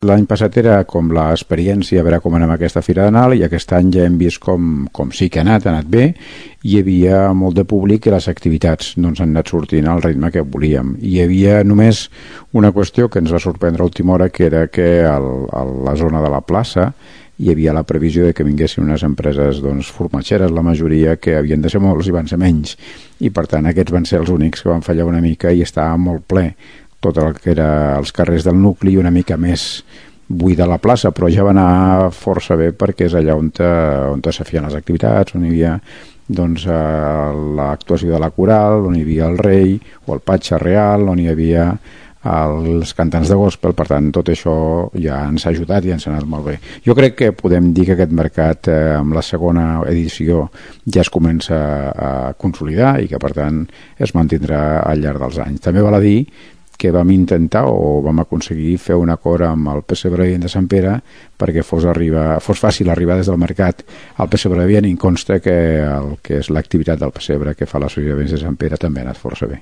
L'any passat era com l'experiència, a veure com anem a aquesta Fira de Nadal, i aquest any ja hem vist com sí que ha anat bé. Hi havia molt de públic i les activitats no ens han anat sortint al ritme que volíem. Hi havia només una qüestió que ens va sorprendre a última hora, que era que a la zona de la plaça hi havia la previsió de que vinguessin unes empreses formatgeres, la majoria, que havien de ser molts i van ser menys, i per tant aquests van ser els únics que van fallar una mica i estava molt ple tot el que era els carrers del nucli, una mica més buida la plaça, però ja va anar força bé perquè és allà on se feien les activitats, on hi havia l'actuació de la coral, on hi havia el rei o el patge real, on hi havia els cantants de gospel. Per tant, tot això ja ens ha ajudat i ens ha anat molt bé. Jo crec que podem dir que aquest mercat amb la segona edició ja es comença a consolidar i que per tant es mantindrà al llarg dels anys. També val a dir que vam intentar o vam aconseguir fer un acord amb el Pessebre de Sant Pere perquè fos fàcil arribar des del mercat al Pessebre i em consta que el que és l'activitat del Pessebre que fa l'Associació de Sant Pere també ha anat força bé.